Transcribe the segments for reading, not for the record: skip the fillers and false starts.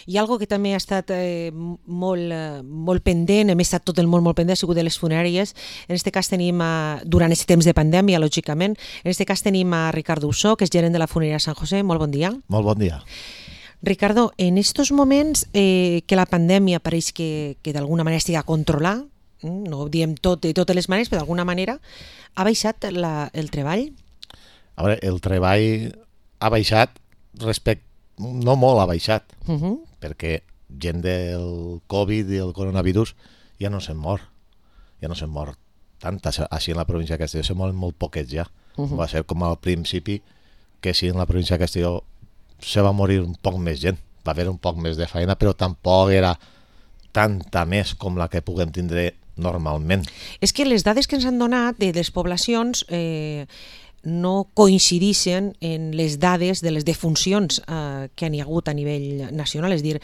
I algo que també ha estat molt pendent, hem estat tot el món molt pendent, ha sigut de les funeràries. En aquest cas tenim, durant aquest temps de pandèmia, lògicament, en aquest cas tenim a Ricardo Ussó, que és gerent de la funerària Sant José. Molt bon dia. Molt bon dia. Ricardo, en estos moments que la pandèmia pareix que d'alguna manera estigui a controlar, no ho diem tot de totes les maneres, però d'alguna manera ha baixat el treball? A veure, el treball ha baixat no molt ha baixat, perquè gent del Covid i el coronavirus ja no se'n mor. Ja no se'n mor tant. Així en la província de Castelló se moren molt poquets ja. Va ser com al principi que sí, en la província de Castelló se va morir un poc més gent. Va haver un poc més de feina, però tampoc era tanta més com la que puguem tindre normalment. És que les dades que ens han donat de les poblacions no coincideixen en les dades de les defuncions que han hi hagut a nivell nacional, és dir,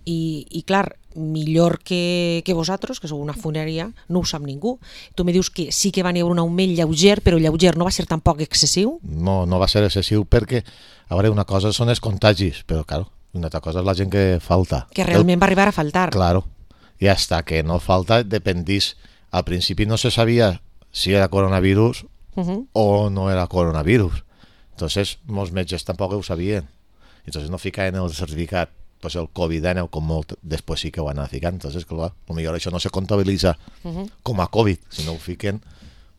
i clar, millor que vosaltres, que sou una funerària, no ho sap ningú. Tu me dius que sí que va haver un augment lleuger, però lleuger no va ser tampoc excessiu? No va ser excessiu perquè, a veure, una cosa són els contagis, però clar, una altra cosa és la gent que falta. Que realment va arribar a faltar. Claro. I hasta que no falta dependís. Al principi no se sabia si era coronavirus o no era coronavirus. Entonces, molts metges tampoc ho sabien. Entonces no ficaven el certificat, pues el COVID-19, com molt després sí que ho van a ficar. Entonces, clar, potser això no se comptabilitza com a COVID. Si no ho fiquen,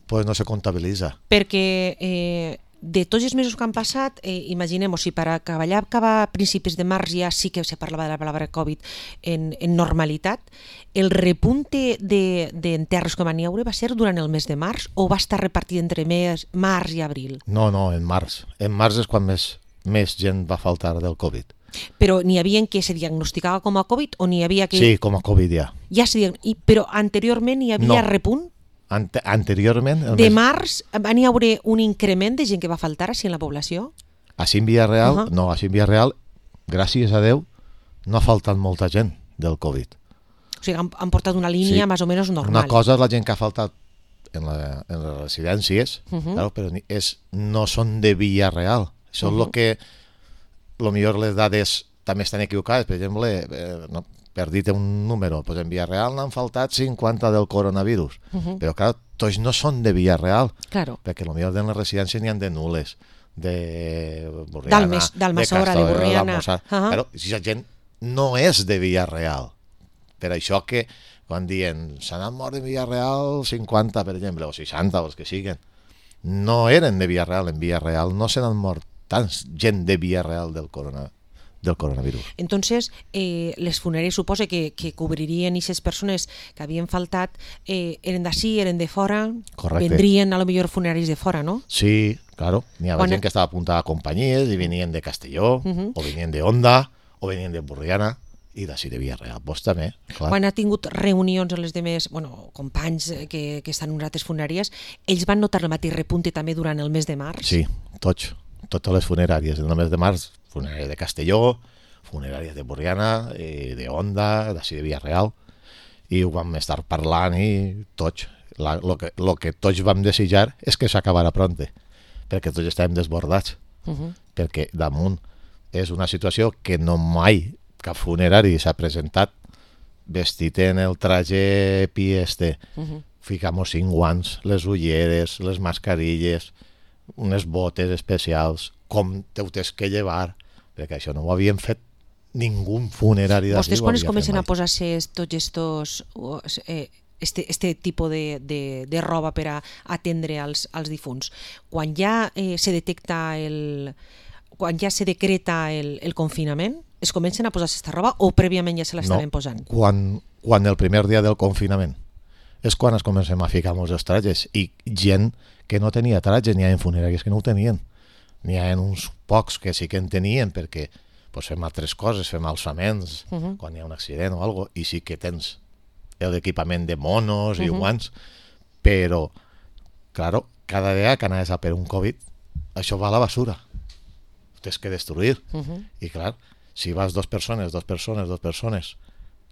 pues no se comptabilitza. Perquè de tots els mesos que han passat, imaginem, si per acabar a principis de març ja sí que se parlava de la paraula Covid en normalitat, el repunte d'enterros que van hi haure va ser durant el mes de març o va estar repartit entre març i abril? No, en març. En març és quan més gent va faltar del Covid. Però n'hi havia que se diagnosticava com a Covid o n'hi havia que... Sí, com a Covid ja. Però anteriorment hi havia repunt? Anteriorment... De març van hi haure un increment de gent que va faltar així en la població? Així en Villarreal, no, així en Villarreal, gràcies a Déu, no ha faltat molta gent del Covid. O sigui, han portat una línia més o menys normal. Una cosa és la gent que ha faltat en les residències, claro, però no són de Villarreal. Això és el que, millor les dades també estan equivocades. Per exemple, per dir-te un número, pues en Villarreal n'han faltat 50 del coronavirus, però clar, tots no són de Villarreal, perquè potser en les residències n'hi ha de Nules, de Borriana, d'Almassora, de Borriana. Però si la gent no és de Villarreal, per això que quan diuen se n'han mort de Villarreal 50, per exemple, o 60, o els que siguen, no eren de Villarreal. En Villarreal no se n'han mort tants gent de Villarreal del coronavirus. Entonces, les funeràries suposa que cobririen aquestes persones que havien faltat, eren d'ací, eren de fora. Correcte. Vendrien a lo millor funeraris de fora, no? Sí, claro. N'hi havia gent que estava apuntada a companyies i venien de Castelló, o venien de Onda, o venien de Borriana, i d'ací de Villarreal, pues també, clar. Quan ha tingut reunions amb les demés companys que estan en altres funeràries, ells van notar el mateix repunte també durant el mes de març? Sí, totes les funeràries. En el mes de març, funeràries de Castelló, funeràries de Borriana, de Onda, d'ací de Villarreal, i ho vam estar parlant i tots. El que tots vam desitjar és que s'acabara pronte, perquè tots estàvem desbordats, perquè damunt és una situació que no mai cap funerari s'ha presentat vestit en el traje pi ficamos 5 guants, les ulleres, les mascarilles, unes botes especials, com te ho tens que llevar, perquè això no ho havien fet ningú funerari d'ací. Vostès quan es comencen a posar-se tots este tipus de roba per a atendre als difunts, quan ja se detecta quan ja se decreta el confinament, es comencen a posar aquesta roba o prèviament ja se l'estaven posant? Quan el primer dia del confinament és quan es comencem a ficar molts trajes, i gent que no tenia trajes, n'hi ha en funeràries que no ho tenien, n'hi ha uns pocs que sí que en tenien perquè fem altres coses, fem alçaments quan hi ha un accident o alguna cosa, i sí que tens l'equipament de monos i guants, però claro, cada dia que anaves a per un Covid això va a la basura, ho tens que destruir, i clar, si vas dos persones,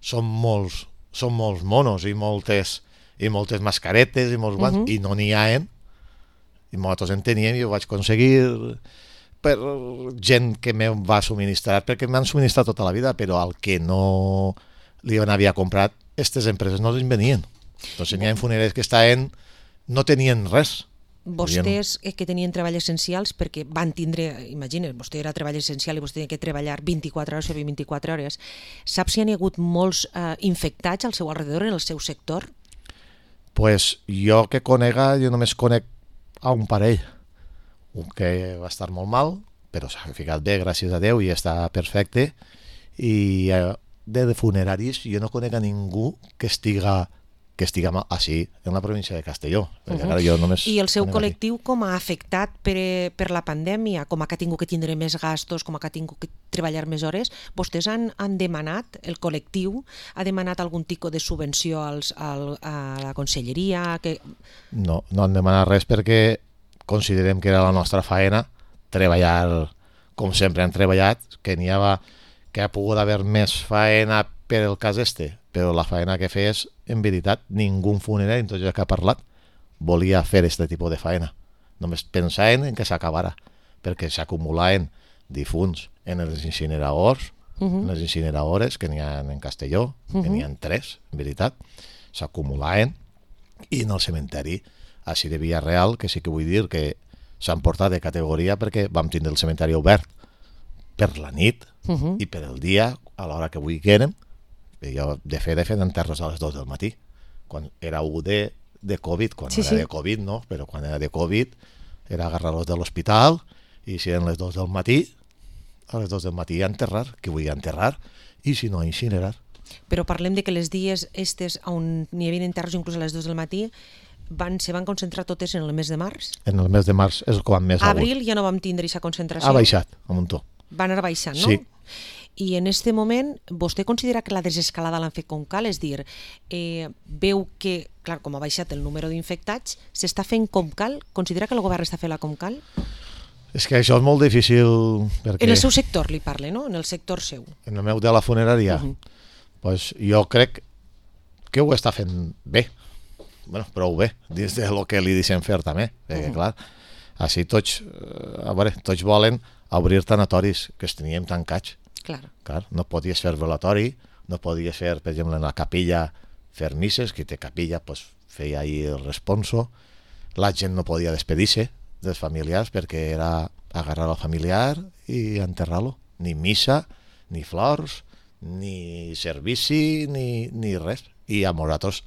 són molts monos i moltes mascaretes i molts guants, i no n'hi ha, i nosaltres en teníem i ho vaig aconseguir per gent que me va subministrar, perquè m'han subministrat tota la vida, però al que no li havia comprat, aquestes empreses no les venien. Entonces n'hi ha funeraris que no tenien res. Vostès que tenien treball essencials, perquè van tindre, imagina't, vostè era treball essencial i vostè tenia que treballar 24 hores, servir 24 hores. Sap si hi ha hagut molts infectats al seu alrededor, en el seu sector? Pues jo que conega, jo només conec a un parell. Un que va estar molt mal, però s'ha ficat bé, gràcies a Déu, i està perfecte. I de funeraris jo no conec a ningú que estiga així, en la província de Castelló. I el seu col·lectiu com ha afectat per la pandèmia? Com ha tingut que tindre més gastos, com ha tingut que treballar més hores? Vostès han demanat, el col·lectiu ha demanat algun tipus de subvenció a la conselleria? No han demanat res perquè considerem que era la nostra faena treballar com sempre han treballat, que ha pogut haver més faena per el cas però la faena que fes, en veritat, ningú funerari, en tot el que ha parlat, volia fer aquest tipus de faena. Només pensaven en que s'acabara, perquè s'acumulaven difunts en els incineradors, en les incineradores que n'hi ha en Castelló, que n'hi ha 3, en veritat, s'acumulaven, i en el cementeri, així de Villarreal, que sí que vull dir que s'han portat de categoria perquè vam tindre el cementeri obert per la nit i per el dia, a l'hora que vulguérem. Jo, de fet, enterres a les 2 del matí. Quan era de Covid, quan era de Covid, no, però quan era de Covid era agarrar-los de l'hospital i si eren les 2 del matí, a les 2 del matí a enterrar, que volia enterrar, i si no, a incinerar. Però parlem de que les dies on n'hi havia enterros inclús a les 2 del matí se van concentrar totes en el mes de març? En el mes de març és quan més ha hagut. Abril ja no vam tindre aquesta concentració? Ha baixat, a muntó. Va anar baixant, no? Sí. I en aquest moment, vostè considera que la desescalada l'han fet com cal? És dir, veu que, clar, com ha baixat el número d'infectats, s'està fent com cal? Considera que el govern està fent-la com cal? És que això és molt difícil perquè... En el seu sector li parle, no? En el sector seu. En el meu de la funerària? Pues jo crec que ho està fent bé. Bueno, prou bé, dins del que li deixem fer també. Perquè, clar, així tots volen obrir tanatoris que els teníem tancats. Clar, no podies fer velatori, no podies fer, per exemple, en la capella fer misses, qui té capella pues, feia ahir el responso, la gent no podia despedir-se dels familiars perquè era agarrar al familiar i enterrar-lo. Ni missa, ni flors, ni servici, ni res. I a nosaltres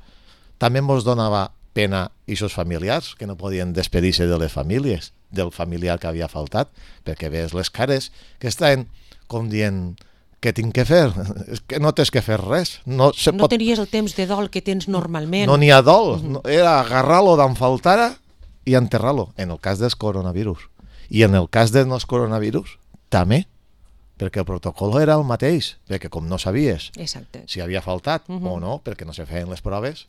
també ens donava pena aquests familiars que no podien despedir-se de les famílies, del familiar que havia faltat, perquè veus les cares que estaven com dient, què tinc que fer? És que no tens que fer res. No tenies el temps de dol que tens normalment. No n'hi ha dol. Era agarrar-lo d'on faltara i enterrar-lo, en el cas dels coronavirus. I en el cas dels coronavirus, també, perquè el protocol era el mateix, perquè com no sabies si havia faltat o no, perquè no se feien les proves,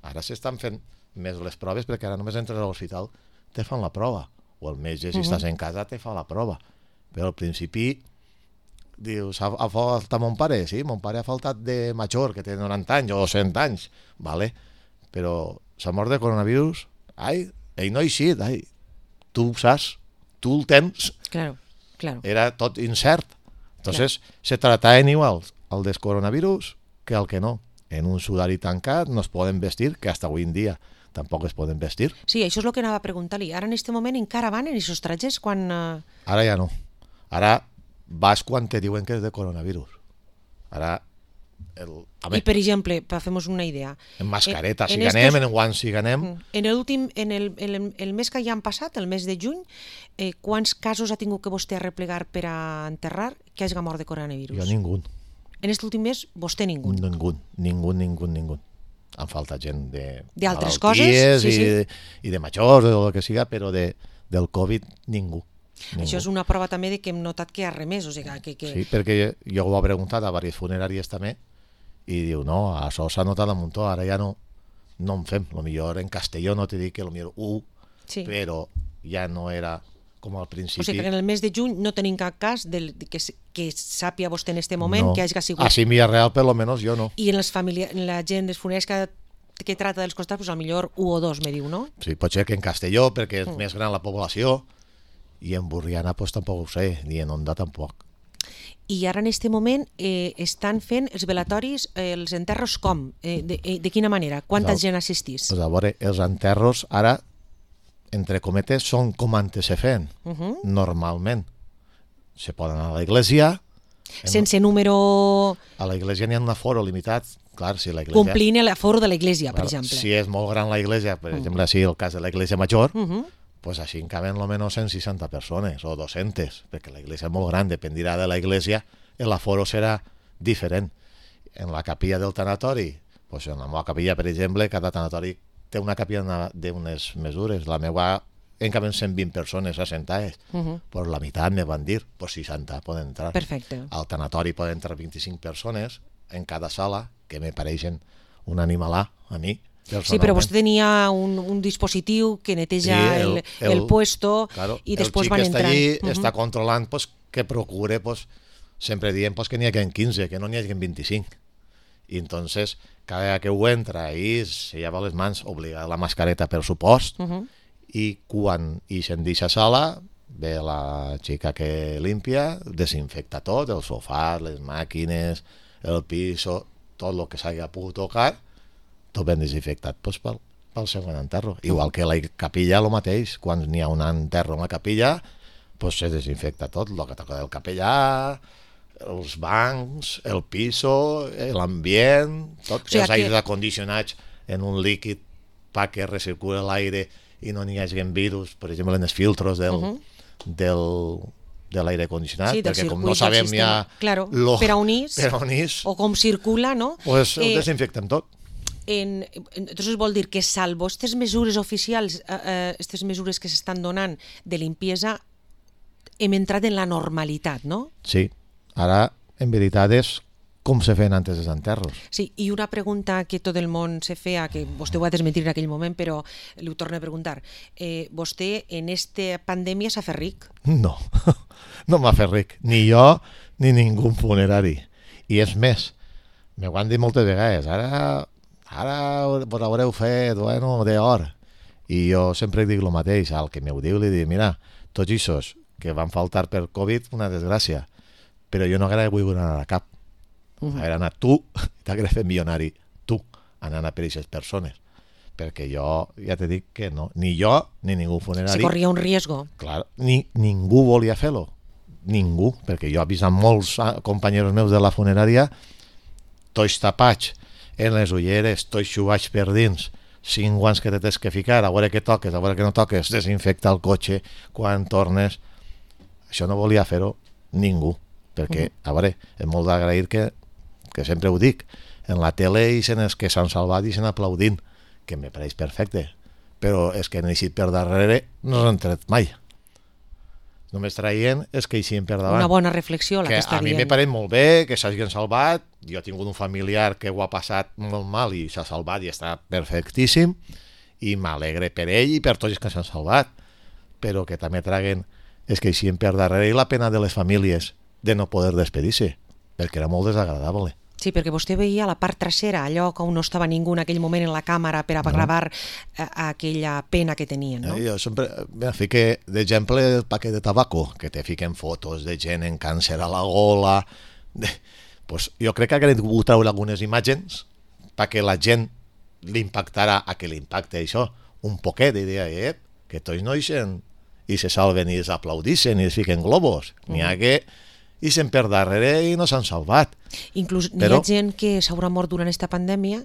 ara s'estan fent més les proves perquè ara només entres a l'hospital te fan la prova, o el metge si estàs en casa te fa la prova. Però al principi dius, ha faltat mon pare? Sí, mon pare ha faltat de major, que té 90 anys o 100 anys, vale? Però s'ha mort de coronavirus, ell no ha eixit, tu ho saps, tu el tens. Claro. Era tot incert. Entonces, se trataven igual al del coronavirus que al que no. En un sudari tancat no es poden vestir, que hasta avui en dia tampoc es poden vestir. Sí, això és el que anava a preguntar-li. Ara en aquest moment encara van en aquests trajets quan... Ara ja no. Ara vas quan te diuen que és de coronavirus. Ara... I per exemple, per fer-nos una idea... En mascareta, si ganem, en guants, si ganem... En el mes que ja han passat, el mes de juny, quants casos ha tingut que vostè arreplegar per a enterrar que hagi mort de coronavirus? Jo ningú. En aquest últim mes, vostè ningú? Ningú. Han faltat gent d'altres coses i de majors o el que siga, però del Covid ningú. Això és una prova també de que hem notat que ha remès. O sigui, que... Sí, perquè jo ho he preguntat a diverses funeràries també i diu, no, això s'ha notat a muntó, ara ja no en fem. Potser en Castelló no t'he dit que potser però ja no era com al principi. O sigui que en el mes de juny no tenim cap cas que sàpia vostè en aquest moment que hagi sigut... Així en Villarreal, per lo menos, jo no. I en la gent dels funeraris que trata dels costats, potser un o dos, me diu, no? Sí, pot ser que en Castelló, perquè és més gran la població, I en Borriana pues tampoc ho sé, ni en Onda tampoc. I ara en aquest moment estan fent els velatoris, els enterros com? De quina manera? Quanta gent assistís? Pues a veure, els enterros ara, entre cometes, són com antes se feien, normalment. Se poden anar a l'església. Sense número... A l'església n'hi ha un aforo limitat. Clar, si l'església... Complint l'aforo de l'església, per exemple. Si és molt gran l'església, per exemple, així el cas de l'església major, pues així en caben almenys 160 persones o 200, perquè l'església és molt gran, dependirà de l'església, l'aforo serà diferent. En la capilla del tanatori, pues en la meva capilla, per exemple, cada tanatori té una capilla d'unes mesures. La meva en caben 120 persones assentades, pues la meitat me van dir, pues 60 poden entrar. Perfecte. Al tanatori poden entrar 25 persones en cada sala, que me pareixen un animalà a mi. Sí, però vostè tenia un dispositiu que neteja el puesto, claro, i després van entrant. El xic que està allí està controlant pues, que procure, pues, sempre diem pues, que n'hi hagi 15, que no n'hi hagi 25. I entonces, cada vegada que ho entra i se lleva les mans, obliga la mascareta per supost, i quan ixen d'aquesta sala ve la xica que limpia, desinfecta tot, el sofà, les màquines, el piso, tot el que s'hagi pogut tocar, tot ben desinfectat pues, pel segon enterro. Igual que la capilla, el mateix. Quan n'hi ha un enterro en la capilla, pues, se desinfecta tot, el que toca del capellà, els bancs, el piso, l'ambient, tot, o sigui, els aires acondicionats en un líquid perquè recircula l'aire i no n'hi hagi virus, per exemple, en els filtros de l'aire condicionat, sí, perquè com no sabem ja claro, per on és o com circula, no? Pues ho desinfectem tot. Entonces vol dir que salvo aquestes mesures oficials, aquestes mesures que s'estan donant de limpiesa, hem entrat en la normalitat, no? Sí, ara en veritat és com se feien antes dels enterros. Sí, i una pregunta que tot el món se feia, que vostè ho va desmentir en aquell moment, però li ho torno a preguntar. Vostè en esta pandèmia s'ha fet ric? No, no m'ha fet ric. Ni jo ni ningú funerari. I és més, m'ho han dit moltes vegades, ara vos haureu fet, bueno, d'or. I jo sempre dic el mateix, al que m'ho diu li dic, mira, tots aquests que van faltar per Covid, una desgràcia, però jo no haguera vull anar a cap. Haguera anat tu, t'haguera fet milionari, tu, anant a per aquestes persones. Perquè jo ja te dic que no, ni jo ni ningú funerari... Se corria un riesgo. Clar, ningú volia fer-lo, ningú, perquè jo he vist molts companys meus de la funerària, tots tapats, en les ulleres, tots xugats per dins, 5 guants que tens que ficar, a veure què toques, a veure què no toques, desinfecta el cotxe quan tornes. Això no volia fer-ho ningú, perquè, a veure, és molt d'agrair que sempre ho dic, en la tele ixen els que s'han salvat i ixen aplaudint, que me pareix perfecte, però és que han eixit per darrere no s'han tret mai. Només traient és que eixien per davant. Una bona reflexió la que està dient. A mi me pareix molt bé que s'hagin salvat, jo he tingut un familiar que ho ha passat molt mal i s'ha salvat i està perfectíssim, i m'alegre per ell i per tots els que s'han salvat, però que també traguen és que eixien per darrere i la pena de les famílies de no poder despedir-se, perquè era molt desagradable. Sí, perquè vostè veia la part trasera, allò que no estava ningú en aquell moment en la càmera per a gravar aquella pena que tenien, no? Jo sempre fiqué d'exemple el paquet de tabaco, que te fiquen fotos de gent en càncer a la gola. Pues jo crec que haguem pogut treure algunes imatges perquè la gent l'impactarà a que l'impacte això un poquet, i deia, que tots no ixen i se salven i s'aplaudixen i es fiquen globos. N'hi ha que ixen per darrere i no s'han salvat. Inclús n'hi ha gent que s'haurà mort durant aquesta pandèmia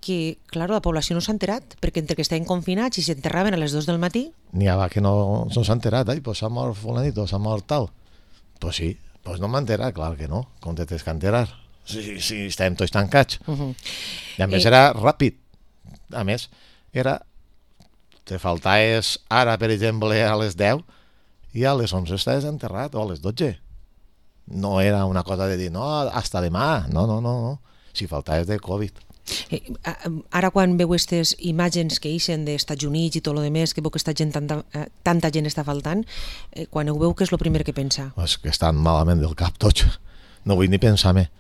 que, clar, la població no s'ha enterat, perquè entre que estaven confinats i s'enterraven a les 2 del matí... N'hi ha que no s'ha enterat, pues s'ha mort fulanito, s'ha mort tal. Pues sí, pues no m'ha enterat, clar que no, com te tens que enterar. Si estàvem tots tancats. I a més era ràpid. A més, te faltaves ara, per exemple, a les 10 i a les 11 estaves enterrat, o a les 12. No era una cosa de dir, no, hasta demà. No. Si faltaves de Covid. Ara quan veu aquestes imatges que ixen dels Estats Units i tot el demés, que veu que tanta gent està faltant, quan ho veu, què és el primer que pensa? És que estan malament del cap tots. No vull ni pensar més.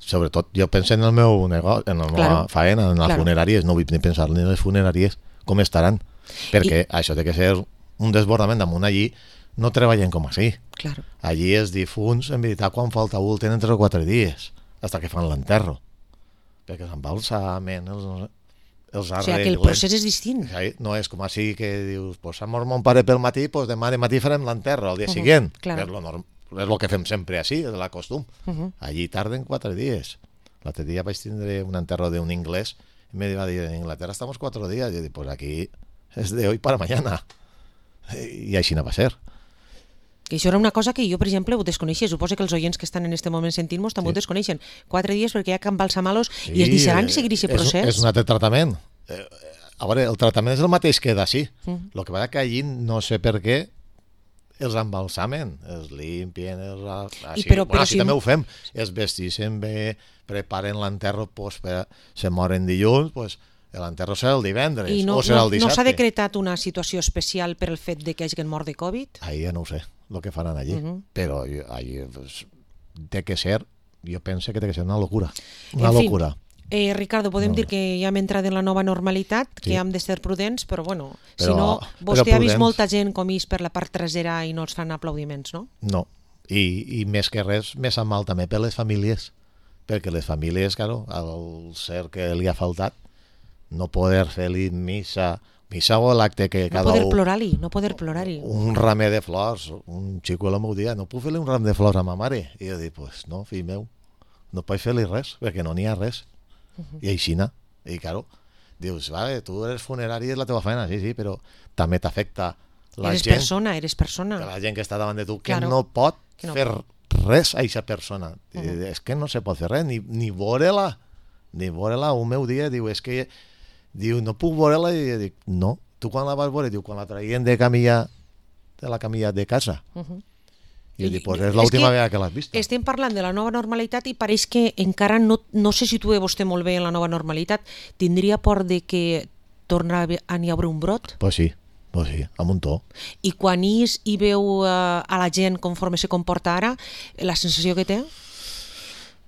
Sobretot jo penso en el meu negoci, en la meva faena, en les funeràries. No vull ni pensar ni en les funeràries com estaran. Perquè això té que ser un desbordament damunt allí no treballen com així. Claro. Allí els difunts, en veritat, quan falta un, tenen 3 o 4 dies, fins que fan l'enterro. Perquè els embalsamen, els arreglen... O sigui que el procés és distint. No és com així que dius, pues s'ha mort mon pare pel matí, pues demà de matí farem l'enterro, al dia següent. Claro. És el que fem sempre així, és la costum. Allí tarden 4 dies. L'altre dia vaig tindre un enterro d'un inglès i me va dir, en Inglaterra estamos 4 días. I jo dic, pues aquí és de hoy para mañana. I així no va ser. Que això era una cosa que jo, per exemple, ho desconeixia. Suposo que els oients que estan en aquest moment sentint-nos també ho desconeixen. 4 dies perquè hi ha que embalsamar-los i es deixaran seguir aquest procés. És un altre tractament. A veure, el tractament és el mateix que d'ací. El que passa que allí no sé per què els embalsamen, els limpien, així també ho fem. Els vestixen bé, preparen l'enterro, se moren dilluns, l'enterro serà el divendres o serà el dissabte. No s'ha decretat una situació especial per el fet de que hagin mort de Covid? Ahí ja no ho sé, el que faran allí. Però allí té que ser, jo penso que té que ser una locura. Una locura. Ricardo, podem dir que ja hem entrat en la nova normalitat, que hem de ser prudents, però bueno, si no, vostè ha vist molta gent com és per la part trasera i no els fan aplaudiments, no? No, i més que res, més a mal també per les famílies, perquè les famílies, claro, al ser que li ha faltat, no poder fer-li missa o l'acte que cada un... No poder plorar-hi. Un ramer de flors, un xico el meu dia, no puc fer-li un ram de flors a ma mare? I jo dic, pues no, fill meu, no pots fer-li res, perquè no n'hi ha res. I aixina, i claro, dius, vale, tu eres funerari, és la teva feina, sí, però també t'afecta la gent. Eres persona. La gent que està davant de tu, que no pot fer res a aquesta persona. És que no se pot fer res, ni veure-la. Ni veure-la, un meu dia, diu, és que diu, no puc veure-la, i jo dic, no, tu quan la vas veure, diu, quan la traien de la camilla de casa. I jo dic, pues és l'última vegada que l'has vist. Estem parlant de la nova normalitat i pareix que encara no se situa vostè molt bé en la nova normalitat. Tindria por de que torna a n'hi haure un brot? Pues sí, amb un to. I quan hi veu a la gent conforme se comporta ara, la sensació que té?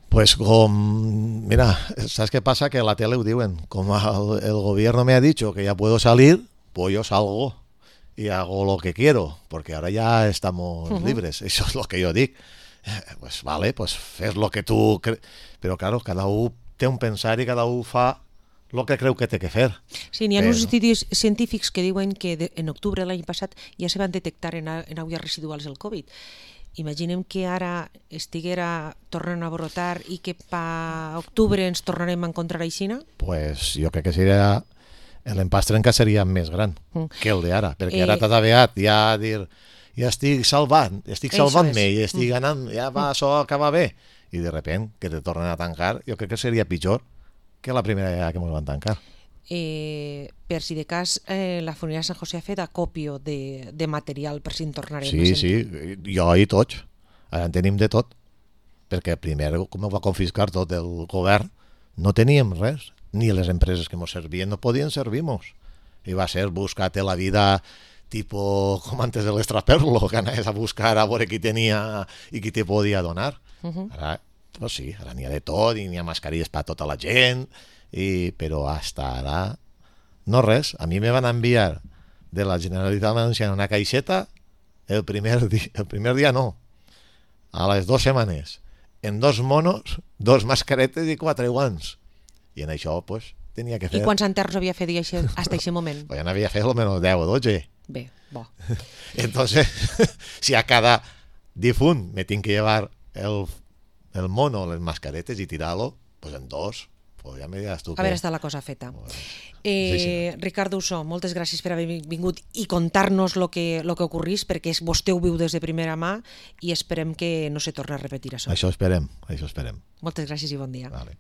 Pues mira, ¿sabes qué pasa? Que en la tele ho diuen, como el gobierno me ha dicho que ya puedo salir, pues yo salgo y hago lo que quiero, porque ahora ya estamos libres. Eso es lo que yo dic. Pues vale, pues fes lo que tu... Però claro, cada un té un pensar i cada un fa el que creu que té que fer. Sí, n'hi ha uns estudis científics que diuen que en octubre de l'any passat ja se van detectar en aigües residuals el Covid. Imaginem que ara estiguera tornant a brotar i que per octubre ens tornarem a encontrar aixina? Pues jo crec que seria... L'empastre encara seria més gran que el d'ara, perquè ara t'ha aviat ja a dir, ja estic salvant-me i estic anant, ja va, això acaba bé, i de repent que te tornen a tancar, jo crec que seria pitjor que la primera vegada que ens van tancar. Per si de cas, la Funeraria Sant José ha fet acopio de material per si en tornarem a sentir. Sí, jo i tots, ara en tenim de tot, perquè primer, com ho va confiscar tot el govern, no teníem res, ni les empreses que ens servien no podien servir-nos. I va ser buscar-te la vida tipo com antes de l'estraperlo, que anaves a buscar a veure qui tenia i qui te podia donar. Ara, pues sí, ara n'hi ha de tot, i n'hi ha mascarilles per a tota la gent, però hasta ara no res. A mi me van enviar de la Generalitat Valenciana una caixeta el primer dia no, a les 2 setmanes, en 2 monos, 2 mascaretes i 4 guants. I en això, pues, tenia que fer... I quants enterros havia fet fins a aquest moment? Pues ja n'havia fet almenys 10 o 12. Bé, bo. Entonces, si a cada difunt me tinc que llevar el mono, les mascaretes i tirar-lo, pues en 2, pues ja me diràs tu. A veure, està la cosa feta. Ricardo Ussó, moltes gràcies per haver vingut i contar-nos el que ocorrís, perquè vostè ho viu des de primera mà i esperem que no se torni a repetir això. Això esperem. Moltes gràcies i bon dia. Vale.